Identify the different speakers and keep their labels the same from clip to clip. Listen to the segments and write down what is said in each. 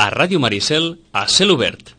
Speaker 1: a Ràdio Maricel, a Cel Obert.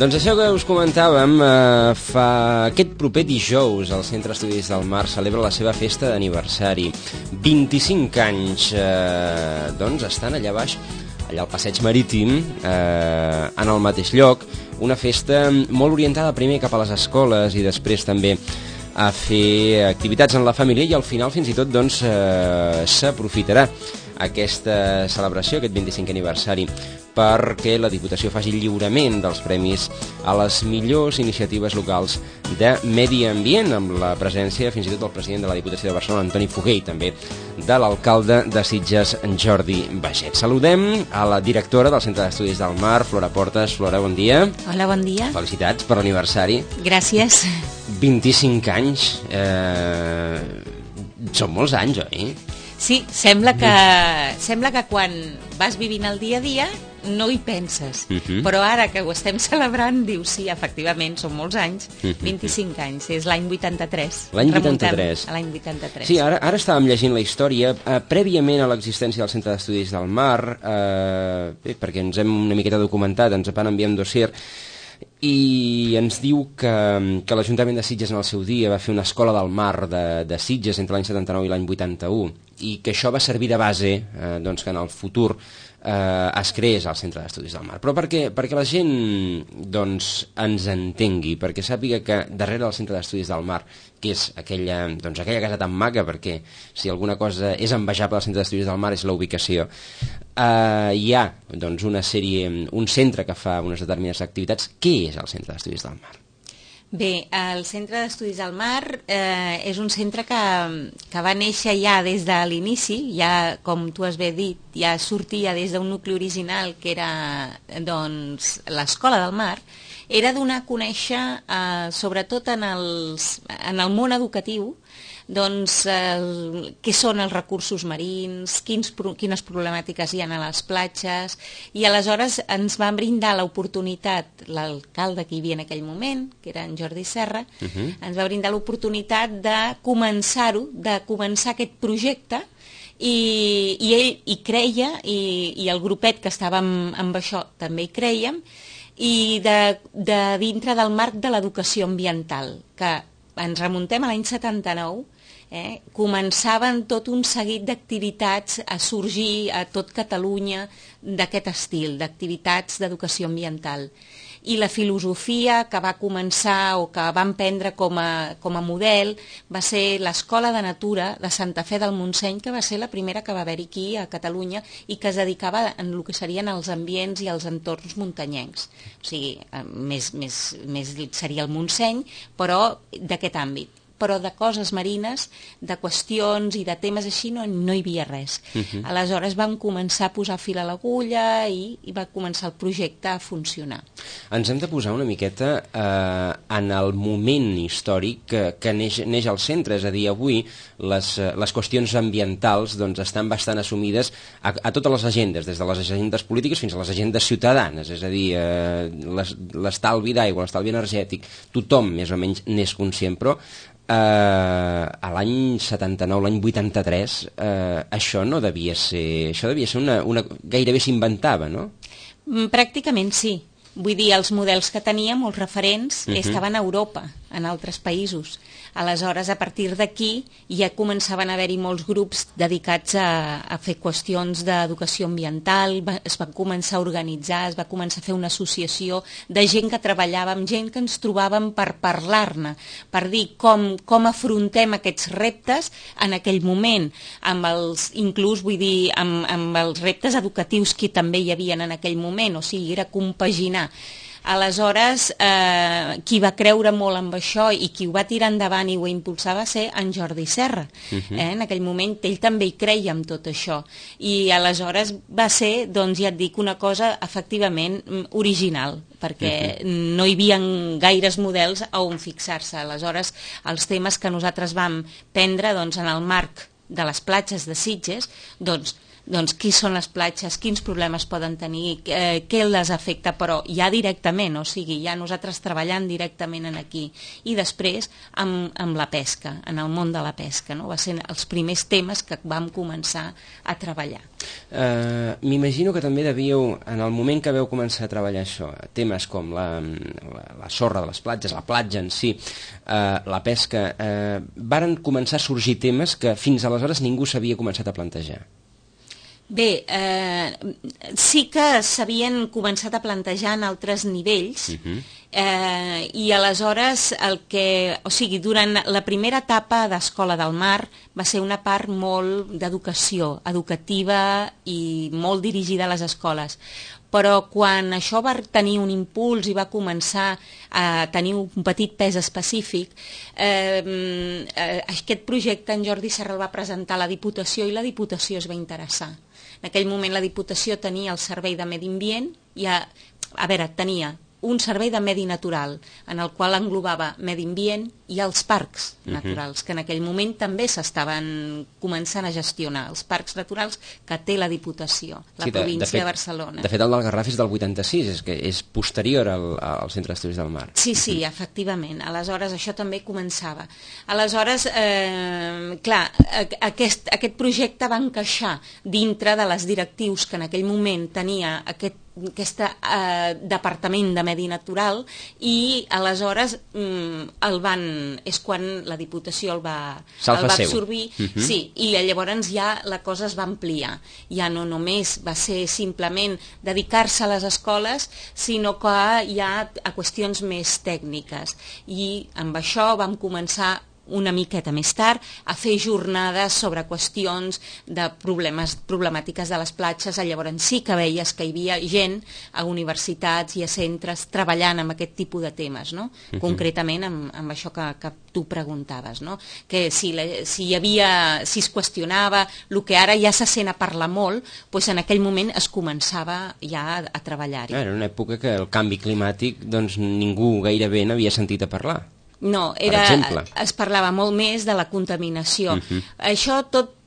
Speaker 2: Doncs això que us comentàvem, aquest proper dijous el Centre d'Estudis del Mar celebra la seva festa d'aniversari. 25 anys, doncs estan allà baix, allà al Passeig Marítim, en el mateix lloc, una festa molt orientada primer cap a les escoles i després també a fer activitats en la família i al final fins i tot doncs s'aprofitarà aquesta celebració, aquest 25è aniversari, perquè la Diputació faci el lliurament dels premis a les millors iniciatives locals de medi ambient, amb la presència fins i tot del president de la Diputació de Barcelona, Antoni Foguer, i també de l'alcalde de Sitges, Jordi Baget. Saludem a la directora del Centre d'Estudis del Mar, Flora Portes. Flora, bon dia.
Speaker 3: Hola, bon dia.
Speaker 2: Quan per l'aniversari.
Speaker 3: Gràcies.
Speaker 2: 25 anys. Són molts anys, oi?
Speaker 3: Sí, sembla que quan vas vivint el dia a dia no hi penses, però ara que ho estem celebrant dius, sí, efectivament, són molts anys, 25 anys, és l'any 83.
Speaker 2: L'any 83.
Speaker 3: A l'any 83.
Speaker 2: Sí, ara estàvem llegint la història, prèviament a l'existència del Centre d'Estudis del Mar, perquè ens hem una miqueta documentat, ens van enviar un dossier, i ens diu que l'Ajuntament de Sitges en el seu dia va fer una escola del mar de Sitges entre l'any 79 i l'any 81, i que això va servir de base doncs, que en el futur es creés el Centre d'Estudis del Mar. Però perquè la gent doncs, ens entengui, perquè sàpiga que darrere del Centre d'Estudis del Mar, que és aquella casa tan maca, perquè si alguna cosa és envejable al Centre d'Estudis del Mar és la ubicació, hi ha doncs, un centre que fa unes determinades activitats. Què és el Centre d'Estudis del Mar?
Speaker 3: Bé, el Centre d'Estudis del Mar és un centre que va néixer ja des de l'inici, ja com tu has bé dit, ja sortia des d'un nucli original que era doncs, l'Escola del Mar. Era donar a conèixer, sobretot en el món educatiu, doncs, què són els recursos marins, quines problemàtiques hi ha a les platges, i aleshores ens van brindar l'oportunitat, l'alcalde que hi havia en aquell moment, que era en Jordi Serra, ens va brindar l'oportunitat de començar aquest projecte, i ell hi creia, i el grupet que estàvem amb això també hi crèiem, i de dintre del marc de l'educació ambiental, que ens remuntem a l'any 79, començaven tot un seguit d'activitats a sorgir a tot Catalunya d'aquest estil, d'activitats d'educació ambiental. I la filosofia que va començar o que van prendre com a model va ser l'Escola de Natura de Santa Fe del Montseny, que va ser la primera que va haver-hi aquí a Catalunya i que es dedicava en el que serien els ambients i els entorns muntanyencs. O sigui, més seria el Montseny, però d'aquest àmbit. Però de coses marines, de qüestions i de temes així no hi havia res. Aleshores vam començar a posar fil a l'agulla i va començar el projecte a funcionar.
Speaker 2: Ens hem de posar una miqueta en el moment històric que neix al centre, és a dir, avui les qüestions ambientals doncs, estan bastant assumides a totes les agendes, des de les agendes polítiques fins a les agendes ciutadanes, és a dir, l'estalvi d'aigua, l'estalvi energètic, tothom més o menys n'és conscient, però a l'any 79, l'any 83, això devia ser gairebé s'inventava, no?
Speaker 3: Pràcticament sí. Vull dir, els models que teníem, els referents, estaven a Europa, en altres països. Aleshores, a partir d'aquí, ja començaven a haver-hi molts grups dedicats a fer qüestions d'educació ambiental, es van començar a organitzar, es va començar a fer una associació de gent que treballava, amb gent que ens trobàvem per parlar-ne, per dir com afrontem aquests reptes en aquell moment, inclús, vull dir, amb els reptes educatius que també hi havia en aquell moment, o sigui, era compaginar Aleshores, qui va creure molt amb això i qui ho va tirar endavant i ho impulsar va ser en Jordi Serra. En aquell moment ell també hi creia amb tot això. I aleshores va ser, doncs ja et dic, una cosa efectivament original, perquè no hi havia gaires models a on fixar-se. Aleshores, els temes que nosaltres vam prendre en el marc de les platges de Sitges, doncs qui són les platges, quins problemes poden tenir, què les afecta, però ja directament, o sigui, ja nosaltres treballant directament en aquí. I després amb la pesca, en el món de la pesca, no? Va ser els primers temes que vam començar a treballar.
Speaker 2: M'imagino que també devíeu, en el moment que veu començar a treballar això, temes com la sorra de les platges, la platja en si, la pesca, varen començar a sorgir temes que fins aleshores ningú s'havia començat a plantejar.
Speaker 3: Bé, sí que s'havien començat a plantejar en altres nivells, i aleshores durant la primera etapa d'Escola del Mar va ser una part molt d'educació, educativa i molt dirigida a les escoles. Però quan això va tenir un impuls i va començar a tenir un petit pes específic, aquest projecte en Jordi Serra el va presentar a la Diputació i la Diputació es va interessar. En aquell moment la Diputació tenia el Servei de Medi Ambient, tenia un servei de medi natural, en el qual englobava medi ambient i els parcs naturals, que en aquell moment també s'estaven començant a gestionar, els parcs naturals que té la Diputació, la província de Barcelona.
Speaker 2: De fet, el del Garraf és del 86, és posterior al Centre d'Estudis del Mar.
Speaker 3: Sí, efectivament. Aleshores, això també començava. Aleshores, clar, aquest projecte va encaixar dintre de les directius que en aquell moment tenia aquest departament de medi natural, i aleshores és quan la Diputació el va absorbir, i llavors ja la cosa es va ampliar, ja no només va ser simplement dedicar-se a les escoles, sinó que ja a qüestions més tècniques, i amb això vam començar una miqueta més tard a fer jornades sobre qüestions de problemàtiques de les platges. Llavors sí que veies que hi havia gent a universitats i a centres treballant amb aquest tipus de temes, no? Concretament amb això que tu preguntaves, no? Que si es qüestionava el que ara ja se sent a parlar molt, doncs en aquell moment es començava ja a treballar-hi.
Speaker 2: Era una època que el canvi climàtic ningú gairebé n'havia sentit a parlar.
Speaker 3: No, es parlava molt més de la contaminació.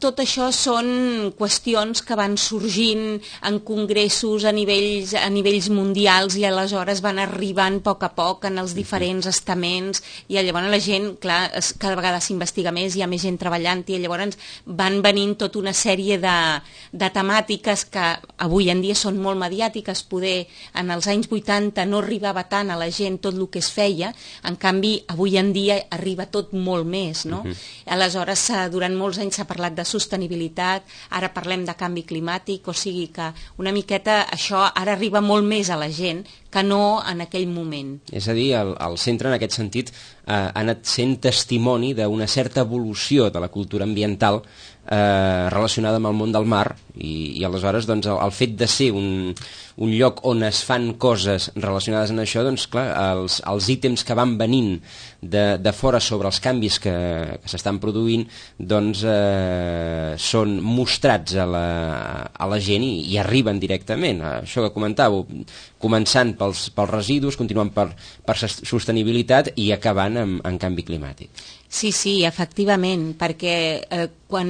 Speaker 3: Tot això són qüestions que van sorgint en congressos a nivells mundials, i aleshores van arribant a poc en els diferents estaments, i llavors la gent, clar, cada vegada s'investiga més, hi ha més gent treballant, i llavors van venint tota una sèrie de temàtiques que avui en dia són molt mediàtiques. Poder en els anys 80 no arribava tant a la gent tot el que es feia, en canvi avui en dia arriba tot molt més, no? Aleshores, durant molts anys s'ha parlat de sostenibilitat, ara parlem de canvi climàtic, o sigui que una miqueta això ara arriba molt més a la gent que no en aquell moment.
Speaker 2: És a dir, el centre en aquest sentit ha anat sent testimoni d'una certa evolució de la cultura ambiental relacionada amb el món del mar, i aleshores el fet de ser un lloc on es fan coses relacionades amb això, doncs clar, els ítems que van venint de fora sobre els canvis que s'estan produint, doncs són mostrats a la gent i arriben directament. Això que comentàveu, començant pels residus, continuant per sostenibilitat i acabant en canvi climàtic.
Speaker 3: Sí, efectivament, perquè quan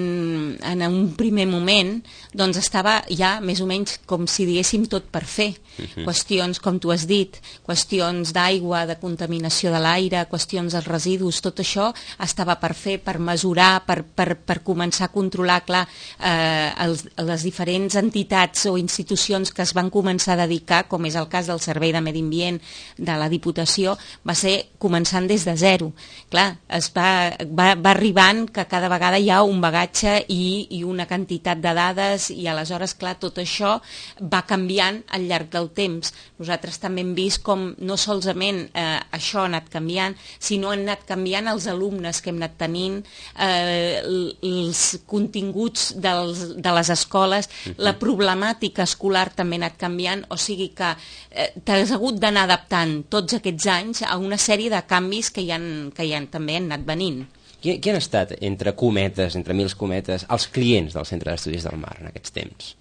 Speaker 3: en un primer moment doncs estava ja més o menys com si diguéssim tot per fer. Qüestions, com tu has dit, qüestions d'aigua, de contaminació de l'aire, qüestions dels residus, tot això estava per fer, per mesurar, per començar a controlar. Clar, les diferents entitats o institucions que es van començar a dedicar, com és el cas del Servei de Medi Ambient de la Diputació, va ser començant des de zero. Clar, es va va arribant que cada vegada hi ha un bagatge i una quantitat de dades i aleshores, clar, tot això va canviant al llarg del temps. Nosaltres també hem vist com no solament això ha anat canviant, sinó han anat canviant els alumnes que hem anat tenint, els continguts de les escoles, la problemàtica escolar també ha anat canviant, o sigui que t'has hagut d'anar adaptant tots aquests anys a una sèrie de canvis que també han anat venint.
Speaker 2: Qui han estat, entre cometes, entre mils cometes, els clients del Centre d'Estudis del Mar en aquests temps?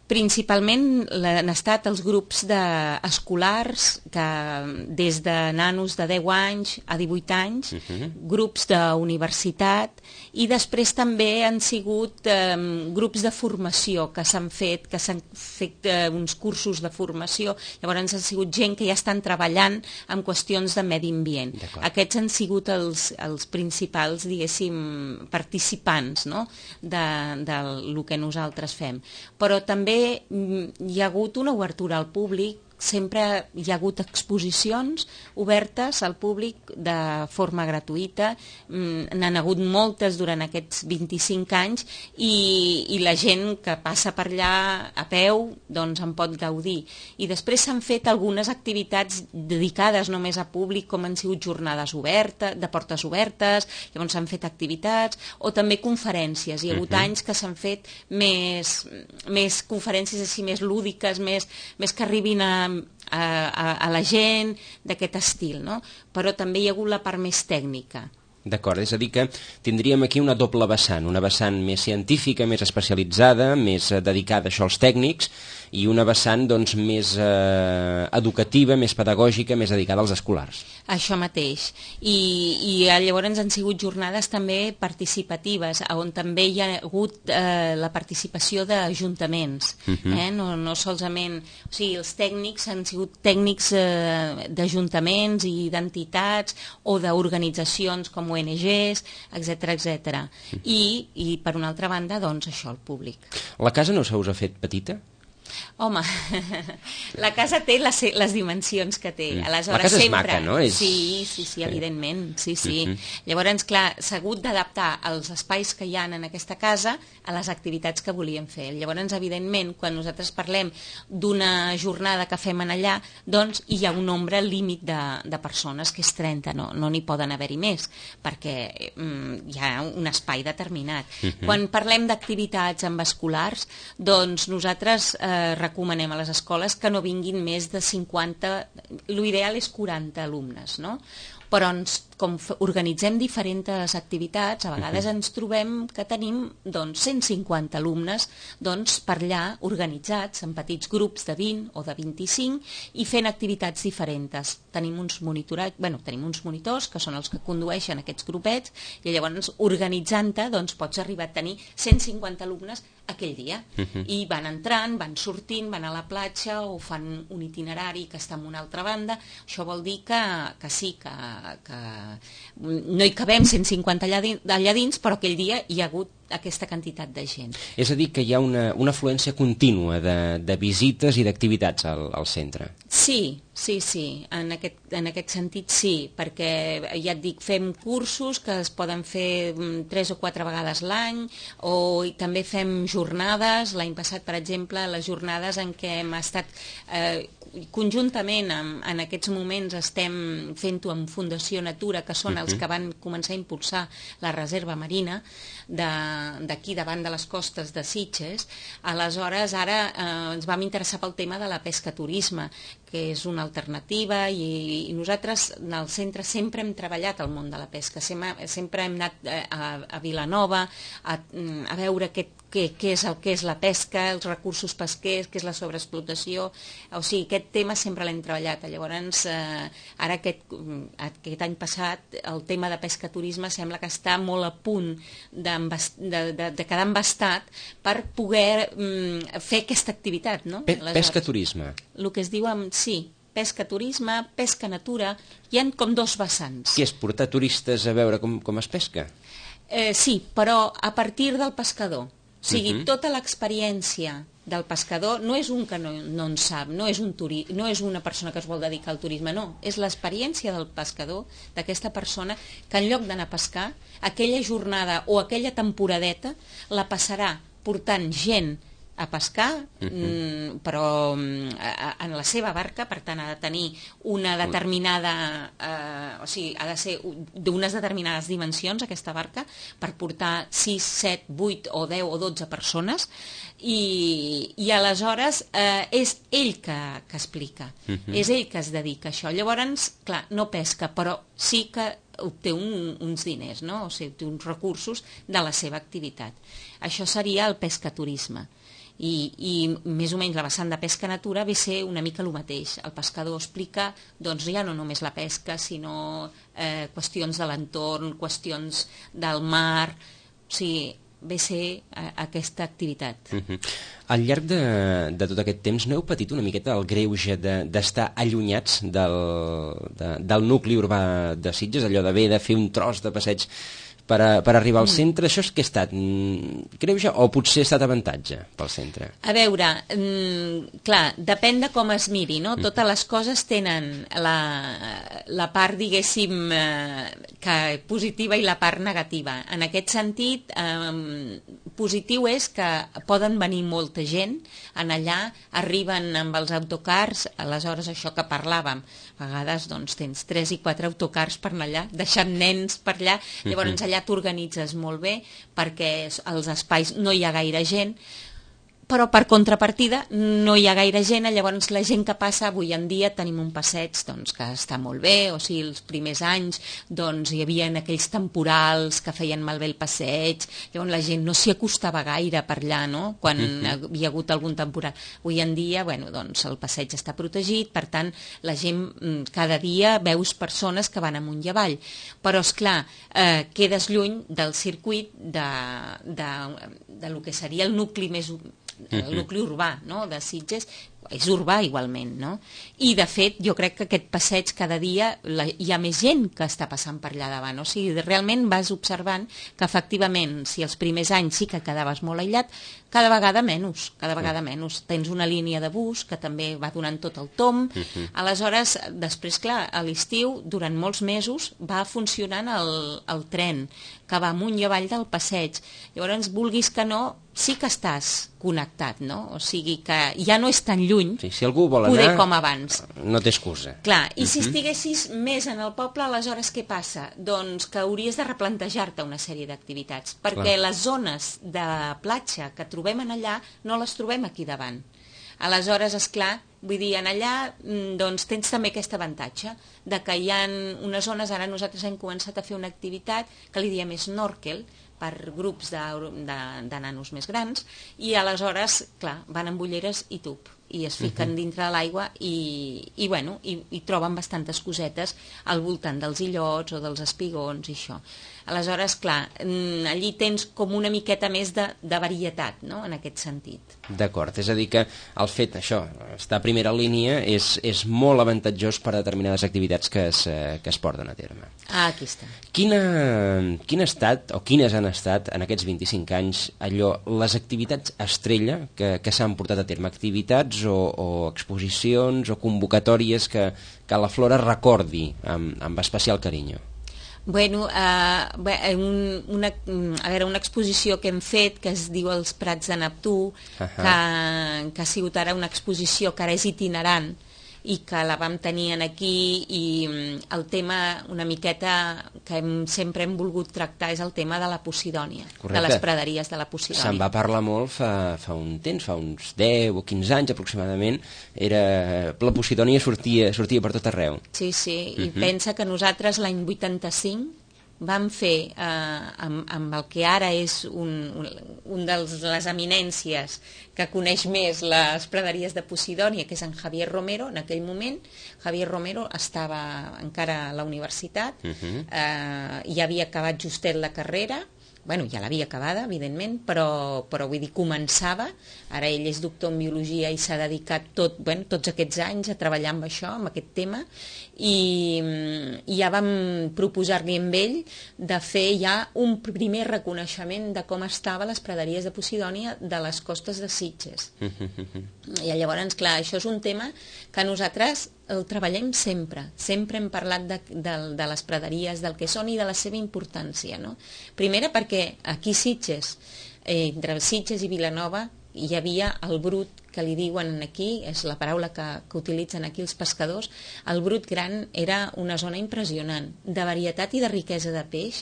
Speaker 3: Principalment han estat els grups escolars, que des de nanos de 10 anys a 18 anys, grups d'universitat, i després també han sigut grups de formació que s'han fet uns cursos de formació, llavors han sigut gent que ja estan treballant en qüestions de medi ambient. Aquests han sigut els principals, diguéssim, participants, no?, del que nosaltres fem. Però també hi ha hagut una obertura al públic, sempre hi ha hagut exposicions obertes al públic de forma gratuïta, n'han hagut moltes durant aquests 25 anys i la gent que passa per allà a peu doncs en pot gaudir. I després s'han fet algunes activitats dedicades només a públic, com han sigut jornades obertes, de portes obertes, llavors s'han fet activitats, o també conferències. Hi ha hagut anys que s'han fet més conferències així més lúdiques, més que arribin a la gent d'aquest estil, no? Però també hi ha hagut la part més tècnica.
Speaker 2: D'acord, és a dir que tindríem aquí una doble vessant, una vessant més científica, més especialitzada, més dedicada a això als tècnics, i una vessant doncs, més educativa, més pedagògica, més dedicada als escolars.
Speaker 3: Això mateix. I llavors han sigut jornades també participatives, on també hi ha hagut la participació d'ajuntaments. No solament... O sigui, els tècnics han sigut tècnics d'ajuntaments i d'entitats o d'organitzacions com ONGs, etc. I per una altra banda, doncs, això, el públic.
Speaker 2: La casa no se us ha fet petita?
Speaker 3: Home, la casa té les dimensions que té. Aleshores,
Speaker 2: la casa és
Speaker 3: sempre...
Speaker 2: maca, no?
Speaker 3: Sí, evidentment. Sí. Llavors, clar, s'ha hagut d'adaptar els espais que hi ha en aquesta casa a les activitats que volíem fer. Llavors, evidentment, quan nosaltres parlem d'una jornada que fem en allà, doncs hi ha un nombre límit de persones, que és 30, no n'hi poden haver-hi més, perquè hi ha un espai determinat. Quan parlem d'activitats amb escolars, doncs nosaltres recomanem a les escoles que no vinguin més de 50, l'ideal és 40 alumnes, no? Però com organitzem diferents activitats, a vegades ens trobem que tenim 150 alumnes per allà organitzats en petits grups de 20 o de 25 i fent activitats diferents. Tenim uns monitors que són els que condueixen aquests grupets i llavors organitzant-te pots arribar a tenir 150 alumnes aquell dia i van entrant, van sortint, van a la platja o fan un itinerari que està en una altra banda. Això vol dir que sí, que no hi cabem 150 allà dins, però aquell dia hi ha hagut aquesta quantitat de gent. És
Speaker 2: a dir, que hi ha una afluència contínua de visites i d'activitats al centre.
Speaker 3: Sí, en aquest sentit sí, perquè ja et dic, fem cursos que es poden fer 3 o 4 vegades l'any, o també fem jornades. L'any passat, per exemple, les jornades en què hem estat conjuntament en aquests moments estem fent-ho amb Fundació Natura, que són els que van començar a impulsar la reserva marina d'aquí davant de les costes de Sitges. Aleshores ara ens vam interessar pel tema de la pesca-turisme, que és una alternativa, i nosaltres al centre sempre hem treballat al món de la pesca, sempre hem anat a Vilanova a veure què és la pesca, els recursos pesquers, què és la sobreexplotació. O sigui, aquest tema sempre l'hem treballat. Llavors, ara aquest any passat, el tema de pesca-turisme sembla que està molt a punt de quedar embastat per poder fer aquesta activitat, no?
Speaker 2: Pesca-turisme.
Speaker 3: El que es diu sí, pesca-turisme, pesca-natura, hi ha com 2 vessants.
Speaker 2: Què és, portar turistes a veure com es pesca?
Speaker 3: Sí, però a partir del pescador. O sigui, tota l'experiència del pescador no és un que no en sap, no és una persona que es vol dedicar al turisme, no, és l'experiència del pescador, d'aquesta persona que en lloc d'anar a pescar, aquella jornada o aquella temporadeta la passarà portant gent a pescar, però en la seva barca, per tant ha de tenir una determinada, o sigui, ha de ser d'unes determinades dimensions aquesta barca per portar 6, 7, 8 o 10 o 12 persones i aleshores és ell que explica, és ell que es dedica a això. Llavors, clar, no pesca, però sí que obté uns diners, no? O sigui, obté uns recursos de la seva activitat. Això seria el pescaturisme. I més o menys la vessant de pesca natura ve ser una mica el mateix. El pescador explica doncs, ja no només la pesca, sinó qüestions de l'entorn, qüestions del mar, o sigui, ve ser aquesta activitat.
Speaker 2: Al llarg de tot aquest temps no heu patit una miqueta el greuge d'estar allunyats del nucli urbà de Sitges, allò d'haver de fer un tros de passeig per arribar al centre? Això és que ha estat greuge o potser ha estat avantatge pel centre?
Speaker 3: A veure, clar, depèn de com es miri, no? Totes les coses tenen la part, diguéssim, positiva i la part negativa. En aquest sentit, positiu és que poden venir molta gent en allà, arriben amb els autocars, aleshores això que parlàvem, a vegades doncs, tens 3 i 4 autocars per anar allà, deixant nens per allà, llavors allà t'organitzes molt bé perquè als espais no hi ha gaire gent, però per contrapartida no hi ha gaire gent, llavors la gent que passa avui en dia tenim un passeig doncs, que està molt bé, o sigui, els primers anys doncs, hi havia aquells temporals que feien malbé el passeig, llavors la gent no s'hi acostava gaire per allà, no? Quan hi havia hagut algun temporal. Avui en dia, bueno, doncs, el passeig està protegit, per tant, la gent cada dia veus persones que van amunt i avall, però esclar, quedes lluny del circuit de lo que seria el nucli més el nucli urbà, no?, de Sitges, és urbà igualment, no? I de fet jo crec que aquest passeig cada dia hi ha més gent que està passant per allà davant, o sigui, realment vas observant que efectivament si els primers anys sí que quedaves molt aïllat, cada vegada menys, tens una línia de bus que també va donant tot el tomb, aleshores després clar, a l'estiu durant molts mesos va funcionant el tren que va amunt i avall del passeig, llavors vulguis que no, sí que estàs connectat, no? O sigui que ja no és tan lluny,
Speaker 2: sí, si algú vol
Speaker 3: poder
Speaker 2: anar,
Speaker 3: com abans.
Speaker 2: No té excusa.
Speaker 3: Clar, i si estiguessis més en el poble, aleshores què passa? Doncs que hauries de replantejar-te una sèrie d'activitats, perquè les zones de platja que trobem en allà no les trobem aquí davant. Aleshores, esclar, vull dir, en allà doncs, tens també aquest avantatge de que hi ha unes zones, ara nosaltres hem començat a fer una activitat que li diem snorkel, per grups de nanos més grans, i aleshores, clar, van amb ulleres i tub, i es fiquen dintre de l'aigua i troben bastantes cosetes al voltant dels illots o dels espigons i això. Aleshores, clar, allí tens com una miqueta més de varietat, no?, en aquest sentit.
Speaker 2: D'acord, és a dir que el fet, això, estar a primera línia és molt avantatjós per a determinades activitats que es porten a terme.
Speaker 3: Ah, aquí està.
Speaker 2: Quin ha estat, o quines han estat, en aquests 25 anys, les activitats estrella que s'han portat a terme? Activitats o exposicions o convocatòries que la Flora recordi amb especial carinyo?
Speaker 3: Bueno, una exposició que hem fet que es diu Els Prats de Neptú, que ha sigut ara una exposició que ara és itinerant i que la vam tenir aquí, i el tema una miqueta que sempre hem volgut tractar és el tema de la Posidònia. Correcte. De les praderies de la Posidònia.
Speaker 2: Se'n va parlar molt fa un temps, fa uns 10 o 15 anys aproximadament, la Posidònia sortia per tot arreu.
Speaker 3: Sí, i pensa que nosaltres l'any 85 vam fer, amb el que ara és un de les eminències que coneix més les praderies de Posidònia, que és en Javier Romero. En aquell moment Javier Romero estava encara a la universitat, ja havia acabat justet la carrera, bueno, ja l'havia acabada, evidentment, però vull dir, començava, ara ell és doctor en biologia i s'ha dedicat tots aquests anys a treballar amb això, amb aquest tema, i ja vam proposar-li amb ell de fer ja un primer reconeixement de com estaven les praderies de Posidònia de les costes de Sitges. I llavors, clar, això és un tema que nosaltres el treballem sempre hem parlat de les praderies, del que són i de la seva importància, no? Primera perquè aquí Sitges, entre Sitges i Vilanova, hi havia el brut, que li diuen aquí, és la paraula que utilitzen aquí els pescadors, el brut gran era una zona impressionant, de varietat i de riquesa de peix.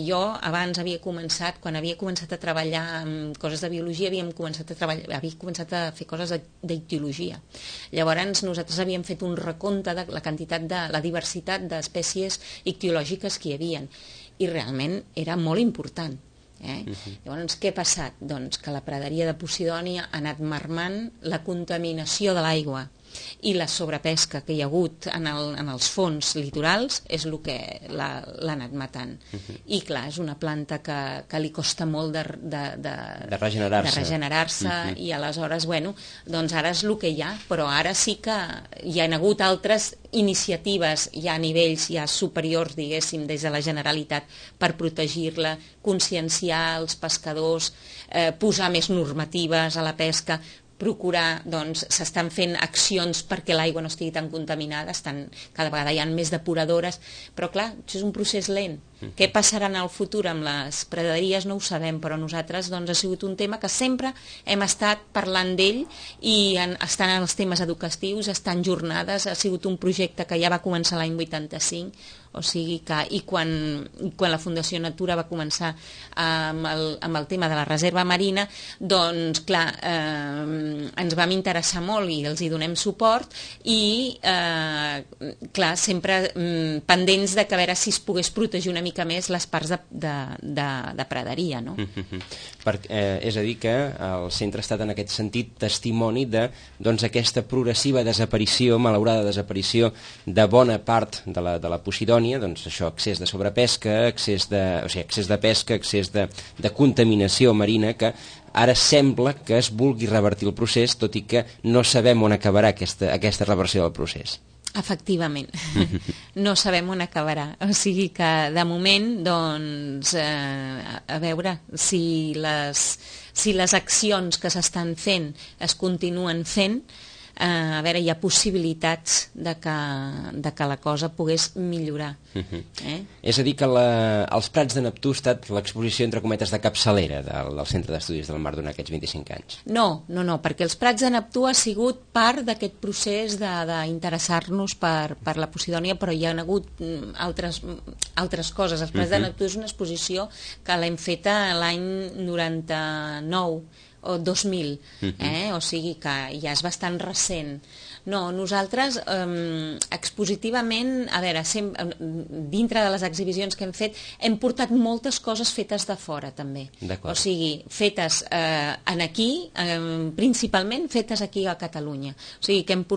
Speaker 3: Jo abans havia començat, quan havia començat a treballar amb coses de biologia, havia començat a fer coses d'ictiologia. Llavors nosaltres havíem fet un recompte de la quantitat de la diversitat d'espècies ictiològiques que hi havia, i realment era molt important. Llavors, què ha passat? Doncs que la praderia de Posidònia ha anat marmant, la contaminació de l'aigua i la sobrepesca que hi ha hagut en els fons litorals és el que l'ha anat matant. I clar, és una planta que li costa molt de regenerar-se, i aleshores, bueno, doncs ara és el que hi ha, però ara sí que hi ha hagut altres iniciatives ja a nivells ja superiors, diguéssim, des de la Generalitat per protegir-la, conscienciar els pescadors, posar més normatives a la pesca, procurar, doncs, s'estan fent accions perquè l'aigua no estigui tan contaminada, cada vegada hi ha més depuradores, però clar, això és un procés lent. Què passarà en el futur amb les praderies no ho sabem, però nosaltres doncs, ha sigut un tema que sempre hem estat parlant d'ell, i estan en els temes educatius, estan jornades, ha sigut un projecte que ja va començar l'any 85, o sigui que, i quan la Fundació Natura va començar amb el tema de la reserva marina, doncs clar, ens vam interessar molt i els hi donem suport, i clar, sempre pendents de que a veure si es pogués protegir una mica més les parts de praderia, no?
Speaker 2: És a dir, que el centre ha estat en aquest sentit testimoni de aquesta progressiva desaparició, malaurada desaparició de bona part de la Posidònia, doncs això, excés de sobrepesca, excés de pesca, excés de contaminació marina, que ara sembla que es vulgui revertir el procés, tot i que no sabem on acabarà aquesta reversió del procés.
Speaker 3: Efectivament, no sabem on acabarà, o sigui que de moment, doncs, a veure si les accions que s'estan fent es continuen fent, a veure, hi ha possibilitats de que la cosa pogués millorar.
Speaker 2: És a dir, que els Prats de Neptú ha estat l'exposició, entre cometes, de capçalera del Centre d'Estudis del Mar durant aquests 25 anys.
Speaker 3: No, perquè els Prats de Neptú ha sigut part d'aquest procés d'interessar-nos per la Posidònia, però hi ha hagut altres coses. Els Prats de Neptú és una exposició que l'hem feta l'any 99 o 2000, o sigui que ja és bastant recent. No, nosaltres expositivament, a veure, dintre de les exhibicions que hem fet, hem portat moltes coses fetes de fora també. O sigui, fetes aquí, principalment fetes aquí a Catalunya. O sigui que hem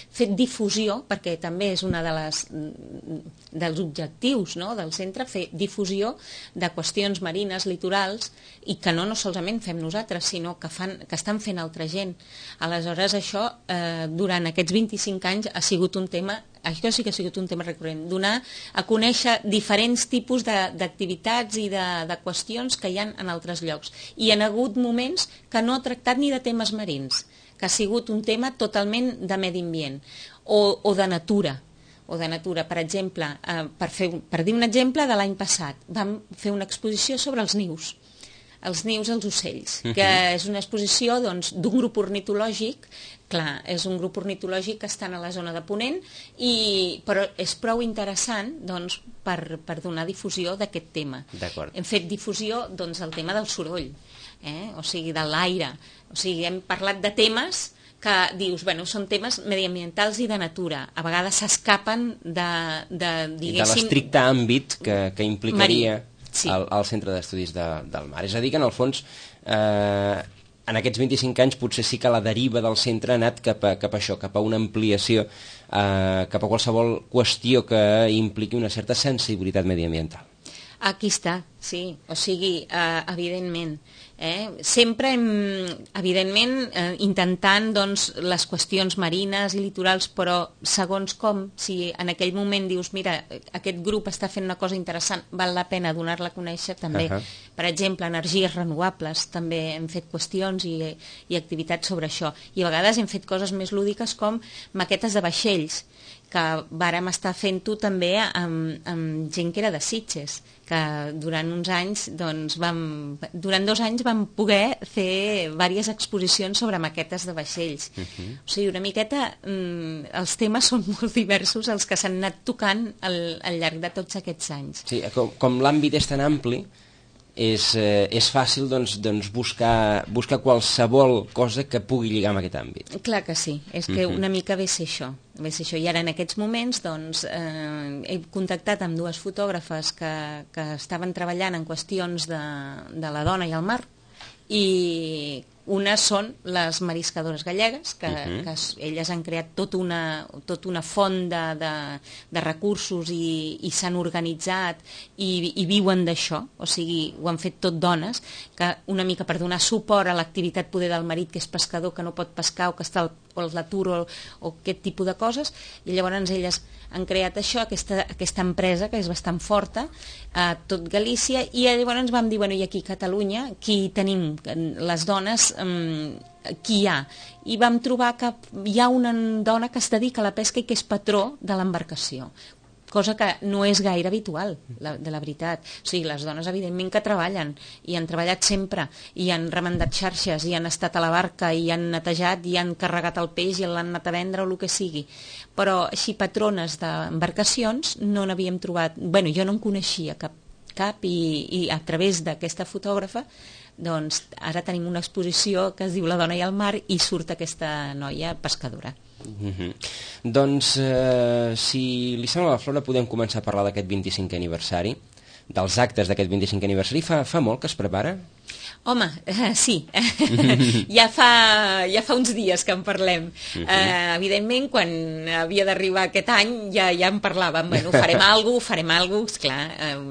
Speaker 3: fet difusió, perquè també és una dels objectius del centre, fer difusió de qüestions marines, litorals, i que no solament fem nosaltres, sinó que estan fent altra gent. Aleshores, això durant aquests 25 anys ha sigut un tema, això sí que ha sigut un tema recurrent, donar a conèixer diferents tipus d'activitats i de qüestions que hi ha en altres llocs. I hi ha hagut moments que no ha tractat ni de temes marins, que ha sigut un tema totalment de medi ambient o de natura. Per exemple, per dir un exemple de l'any passat, vam fer una exposició sobre els nius als ocells, que és una exposició d'un grup ornitològic. Clar, és un grup ornitològic que està a la zona de Ponent, però és prou interessant per donar difusió d'aquest tema. Hem fet difusió del tema del soroll, o sigui, de l'aire. O sigui, hem parlat de temes que dius, bueno, són temes mediambientals i de natura. A vegades s'escapen de
Speaker 2: l'estricte àmbit que implicaria al Centre d'Estudis del Mar. És a dir, que en el fons, en aquests 25 anys potser sí que la deriva del centre ha anat cap a això, cap a una ampliació, cap a qualsevol qüestió que impliqui una certa sensibilitat mediambiental.
Speaker 3: Aquí està, sí, o sigui, evidentment. Sempre, evidentment, intentant doncs, les qüestions marines i litorals, però segons com, si en aquell moment dius, mira, aquest grup està fent una cosa interessant, val la pena donar-la a conèixer també. Per exemple, energies renovables, també hem fet qüestions i activitats sobre això. I a vegades hem fet coses més lúdiques com maquetes de vaixells, que vàrem estar fent-ho també amb gent que era de Sitges, que durant uns anys, doncs, durant 2 anys vam poder fer diverses exposicions sobre maquetes de vaixells. O sigui, una miqueta, els temes són molt diversos, els que s'han anat tocant al llarg de tots aquests anys.
Speaker 2: Sí, com l'àmbit és tan ampli, és fàcil doncs, buscar qualsevol cosa que pugui lligar amb aquest àmbit.
Speaker 3: Clar que sí, és que una mica ve ser això. I ara en aquests moments doncs, he contactat amb 2 fotògrafes que estaven treballant en qüestions de la dona i el mar, i unes són les mariscadores gallegues, que elles han creat tota una font de recursos i s'han organitzat i viuen d'això, o sigui, ho han fet tot dones, que una mica per donar suport a l'activitat poder del marit que és pescador, que no pot pescar o que està a l'atur o aquest tipus de coses, i llavors elles han creat això, aquesta empresa que és bastant forta a tot Galícia, i llavors vam dir, bueno, i aquí a Catalunya qui tenim les dones, qui hi ha? I vam trobar que hi ha una dona que es dedica a la pesca i que és patró de l'embarcació, cosa que no és gaire habitual, de la veritat. O sigui, les dones, evidentment, que treballen, i han treballat sempre, i han remendat xarxes, i han estat a la barca, i han netejat, i han carregat el peix, i l'han anat a vendre, o el que sigui. Però així, patrones d'embarcacions, no n'havíem trobat... Bueno, jo no en coneixia cap i a través d'aquesta fotògrafa, doncs ara tenim una exposició que es diu La dona i el mar, i surt aquesta noia pescadora.
Speaker 2: Doncs, si li sembla, la Flora, podem començar a parlar d'aquest 25è aniversari, dels actes d'aquest 25è aniversari. Fa molt que es prepara?
Speaker 3: Home, sí, ja fa uns dies que en parlem. Evidentment, quan havia d'arribar aquest any ja en parlàvem, bueno, farem alguna cosa, esclar,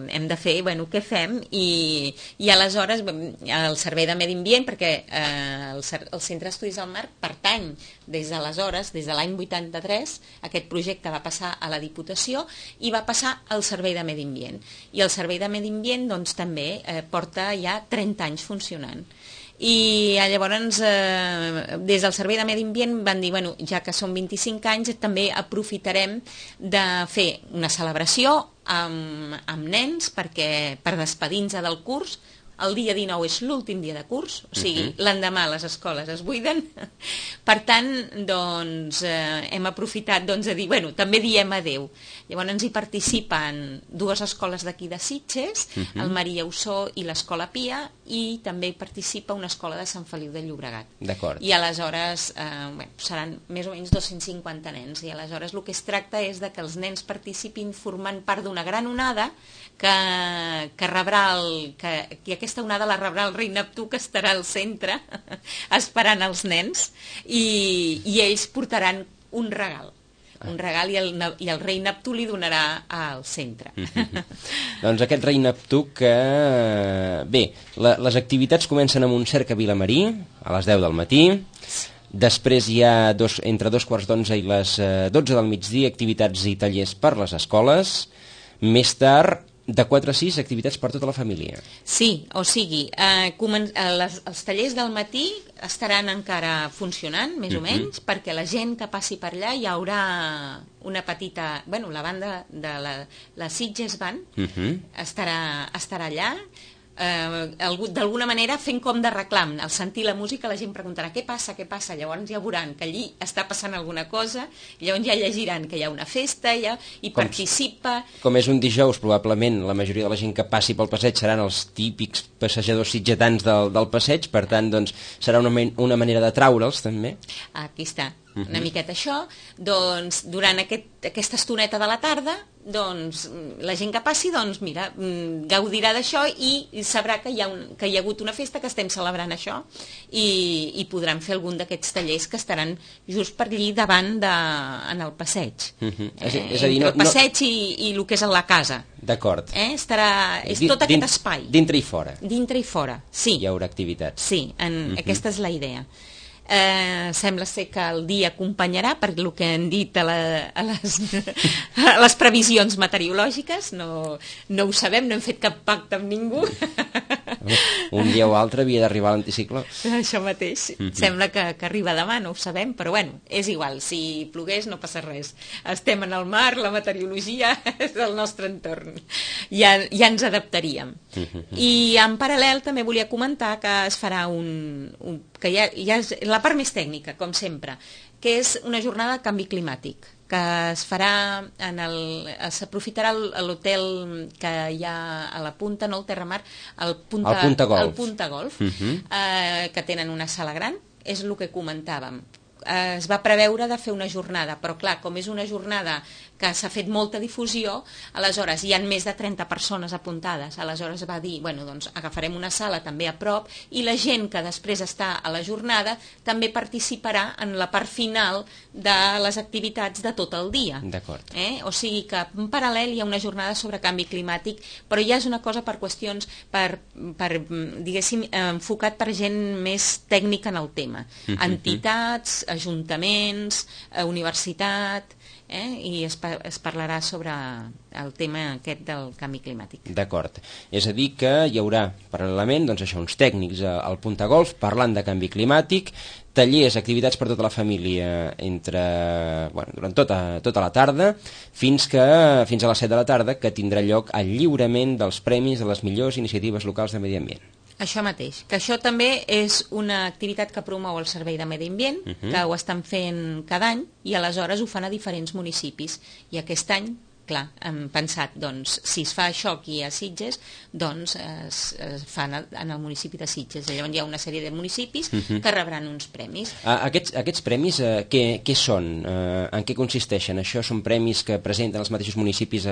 Speaker 3: hem de fer, bueno, què fem? I aleshores el Servei de Medi Ambient, perquè el Centre d'Estudis del Mar pertany des d'aleshores, des de l'any 83, aquest projecte va passar a la Diputació i va passar al Servei de Medi Ambient. I el Servei de Medi Ambient doncs, també porta ja 30 anys funcionant. I llavors des del Servei de Medi Ambient van dir, bueno, ja que són 25 anys, també aprofitarem de fer una celebració amb nens per despedir-nos del curs. El dia 19 és l'últim dia de curs, o sigui, l'endemà les escoles es buiden. Per tant, doncs, hem aprofitat de dir, bueno, també diem adeu. Llavors hi participen 2 escoles d'aquí de Sitges, el Maria Ossó i l'Escola Pia, i també hi participa una escola de Sant Feliu de Llobregat.
Speaker 2: D'acord.
Speaker 3: I aleshores seran més o menys 250 nens, i aleshores el que es tracta és que els nens participin formant part d'una gran onada que rebrà i aquesta onada la rebrà el rei Neptú, que estarà al centre esperant els nens, i ells portaran un regal i el rei Neptú li donarà al centre.
Speaker 2: Doncs aquest rei Neptú que... Bé, les activitats comencen amb un cerc a Vilamarí a les 10 del matí, després hi ha entre 2:15 i les 12 del migdia activitats i tallers per les escoles, més tard de 4 a 6 activitats per tota la família.
Speaker 3: Sí, o sigui, els tallers del matí estaran encara funcionant, més o menys, perquè la gent que passi per allà hi haurà una petita... Bueno, la banda de la Sitges Band estarà allà, d'alguna manera fent com de reclam. Al sentir la música la gent preguntarà què passa, llavors ja veuran que allí està passant alguna cosa, i llavors ja llegiran que hi ha una festa i participa.
Speaker 2: Com és un dijous, probablement la majoria de la gent que passi pel passeig seran els típics passejadors sitgetans del passeig, per tant doncs serà una manera de traure'ls també.
Speaker 3: Aquí està. una miqueta això, doncs durant aquesta estoneta de la tarda, doncs la gent que passi, doncs mira, gaudirà d'això i sabrà que hi ha hagut una festa, que estem celebrant això, i podran fer algun d'aquests tallers que estaran just per allí davant en el passeig.
Speaker 2: És a dir,
Speaker 3: entre el passeig i el que és la casa.
Speaker 2: D'acord.
Speaker 3: És tot aquest espai.
Speaker 2: Dintre i fora.
Speaker 3: Dintre i fora, sí.
Speaker 2: Hi haurà activitats.
Speaker 3: Sí, aquesta és la idea. Sembla ser que el dia acompanyarà, per el que han dit a les previsions meteorològiques. No ho sabem, no hem fet cap pacte amb ningú.
Speaker 2: Un dia o altre havia d'arribar l'anticicló.
Speaker 3: Això mateix. Sembla que arriba demà, no ho sabem, però bueno, és igual, si plogués no passa res. Estem en el mar, la meteorologia és el nostre entorn. Ja ens adaptaríem. I en paral·lel també volia comentar que es farà que ja és la part més tècnica, com sempre, que és una jornada de canvi climàtic, que es farà s'aprofitarà l'hotel que hi ha a la Punta, no el Terramar, el Punta Golf, que tenen una sala gran, és el que comentàvem. Es va preveure de fer una jornada, però clar, com és una jornada que s'ha fet molta difusió, aleshores hi ha més de 30 persones apuntades, aleshores va dir, bueno, doncs agafarem una sala també a prop i la gent que després està a la jornada també participarà en la part final de les activitats de tot el dia.
Speaker 2: D'acord.
Speaker 3: O sigui que en paral·lel hi ha una jornada sobre canvi climàtic, però ja és una cosa per qüestions, diguéssim, enfocat per gent més tècnica en el tema. Entitats, ajuntaments, universitat, i es parlarà sobre el tema aquest del canvi climàtic.
Speaker 2: D'acord. És a dir que hi haurà paral·lelament uns tècnics al Punta Golf parlant de canvi climàtic, tallers, activitats per tota la família durant tota la tarda, fins a les 7 de la tarda, que tindrà lloc el lliurament dels premis de les millors iniciatives locals de medi ambient.
Speaker 3: Això mateix, que això també és una activitat que promou el Servei de Medi Ambient, que ho estan fent cada any i aleshores ho fan a diferents municipis. I aquest any, clar, hem pensat, doncs, si es fa això aquí a Sitges, doncs es fan en el municipi de Sitges. Llavors hi ha una sèrie de municipis que rebran uns premis.
Speaker 2: Aquests premis, què són? En què consisteixen? Això són premis que presenten els mateixos municipis,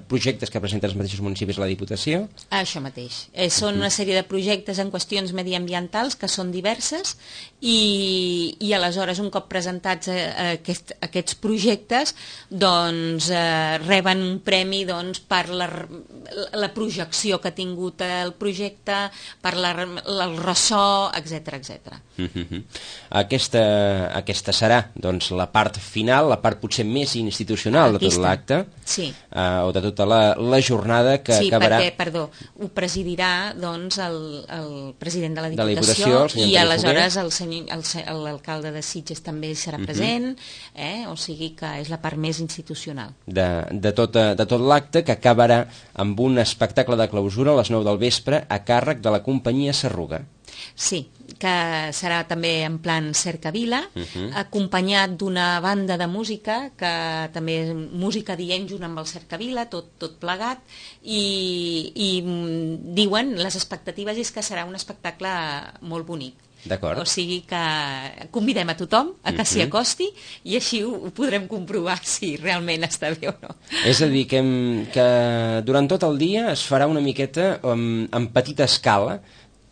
Speaker 2: projectes que presenten els mateixos municipis a la Diputació?
Speaker 3: Això mateix. Són una sèrie de projectes en qüestions mediambientals que són diverses i aleshores, un cop presentats aquests projectes, doncs reben un premi per la projecció que ha tingut el projecte, per el ressò, etc.
Speaker 2: Aquesta serà la part final, la part potser més institucional de tot l'acte, o de tota la jornada que acabarà...
Speaker 3: Sí, perquè, ho presidirà el president de la Diputació i aleshores l'alcalde de Sitges també serà present, o sigui que és la part més institucional.
Speaker 2: De tot l'acte, que acabarà amb un espectacle de clausura a les 9 del vespre a càrrec de la companyia Sarruga.
Speaker 3: Sí, que serà també en plan cercavila, acompanyat d'una banda de música, que també és música dient junt amb el cercavila, tot plegat, i diuen, les expectatives és que serà un espectacle molt bonic. O sigui que convidem a tothom a que s'hi acosti i així ho podrem comprovar si realment està bé o no.
Speaker 2: És a dir, que durant tot el dia es farà una miqueta en petita escala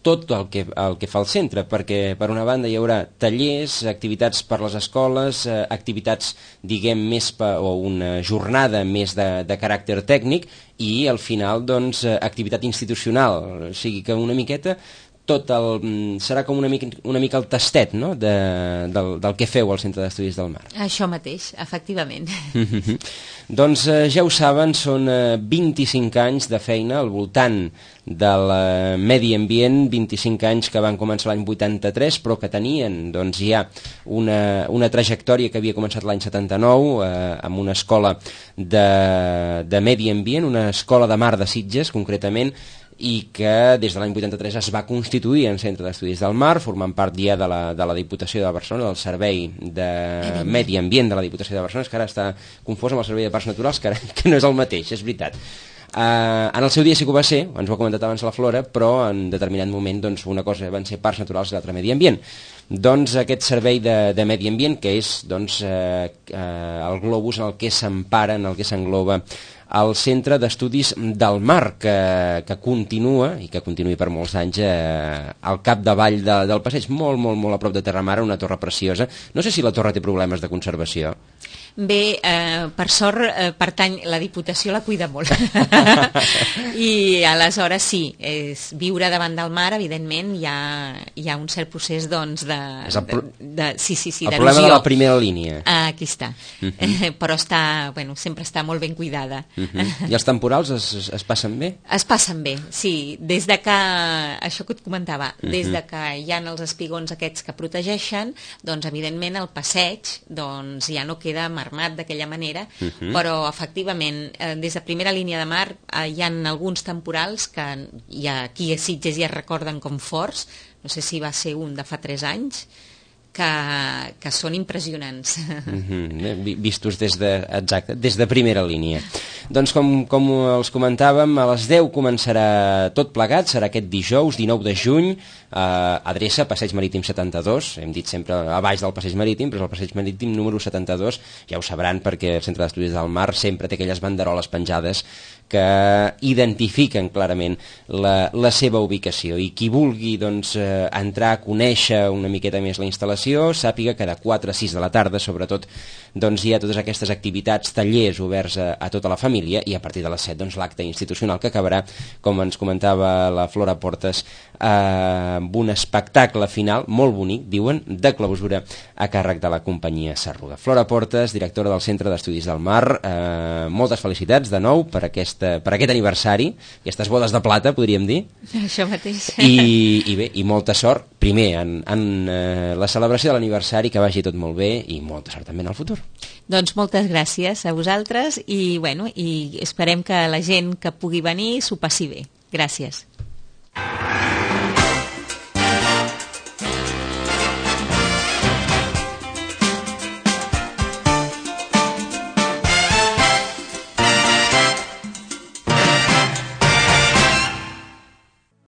Speaker 2: tot el que fa el centre, perquè per una banda hi haurà tallers, activitats per les escoles, activitats, diguem, o una jornada més de caràcter tècnic i al final, doncs, activitat institucional. O sigui que una miqueta serà com una mica el tastet, no?, del que feu al Centre d'Estudis del Mar.
Speaker 3: Això mateix, efectivament.
Speaker 2: Doncs ja ho saben, són 25 anys de feina al voltant del medi ambient, 25 anys que van començar l'any 83, però que tenien ja una trajectòria que havia començat l'any 79 amb una escola de medi ambient, una escola de mar de Sitges, concretament, i que des de l'any 83 es va constituir en Centre d'Estudis del Mar, formant part ja de la Diputació de Barcelona, del Servei de Medi Ambient de la Diputació de Barcelona, que ara està confós amb el Servei de Parcs Naturals, que no és el mateix, és veritat. En el seu dia sí que ho va ser, ens ho ha comentat abans la Flora, però en determinat moment doncs, una cosa van ser parcs naturals i l'altra medi ambient. Doncs aquest servei de medi ambient, que és doncs, el globus en el que s'empara, en el que s'engloba el Centre d'Estudis del Mar, que continua, i que continuï per molts anys, al capdavall del passeig, molt, molt, molt a prop de Terramar, una torre preciosa. No sé si la torre té problemes de conservació.
Speaker 3: Bé, per sort, la Diputació la cuida molt. I aleshores sí, viure davant del mar, evidentment, hi ha un cert procés doncs,
Speaker 2: el problema de la primera línia.
Speaker 3: Aquí està. Però sempre està molt ben cuidada.
Speaker 2: I els temporals es passen bé?
Speaker 3: Es passen bé, sí. Des de que, això que et comentava, des de que hi ha els espigons aquests que protegeixen, doncs evidentment el passeig ja no queda armat d'aquella manera, però efectivament des de primera línia de mar hi ha alguns temporals que aquí a Sitges ja es recorden com forts, no sé si va ser un de fa 3 anys, que són impressionants.
Speaker 2: Vistos des de primera línia. Doncs com els comentàvem, a les 10 començarà tot plegat, serà aquest dijous 19 de juny, adreça Passeig Marítim 72, hem dit sempre a baix del Passeig Marítim, però és el Passeig Marítim número 72, ja ho sabran perquè el Centre d'Estudis del Mar sempre té aquelles banderoles penjades que identifiquen clarament la seva ubicació, i qui vulgui doncs, entrar a conèixer una miqueta més la instal·lació, sàpiga que de 4 a 6 de la tarda sobretot doncs, hi ha totes aquestes activitats, tallers oberts a tota la família, i a partir de les 7 doncs, l'acte institucional que acabarà, com ens comentava la Flora Portes, amb un espectacle final molt bonic, diuen, de clausura a càrrec de la companyia Sarruga. Flora Portes, directora del Centre d'Estudis del Mar, moltes felicitats de nou per aquest aniversari, aquestes bodes de plata, podríem dir.
Speaker 3: Això mateix.
Speaker 2: I bé, i molta sort, primer, en la celebració de l'aniversari, que vagi tot molt bé, i molta sort també en el futur.
Speaker 3: Doncs moltes gràcies a vosaltres, i esperem que la gent que pugui venir s'ho passi bé. Gràcies.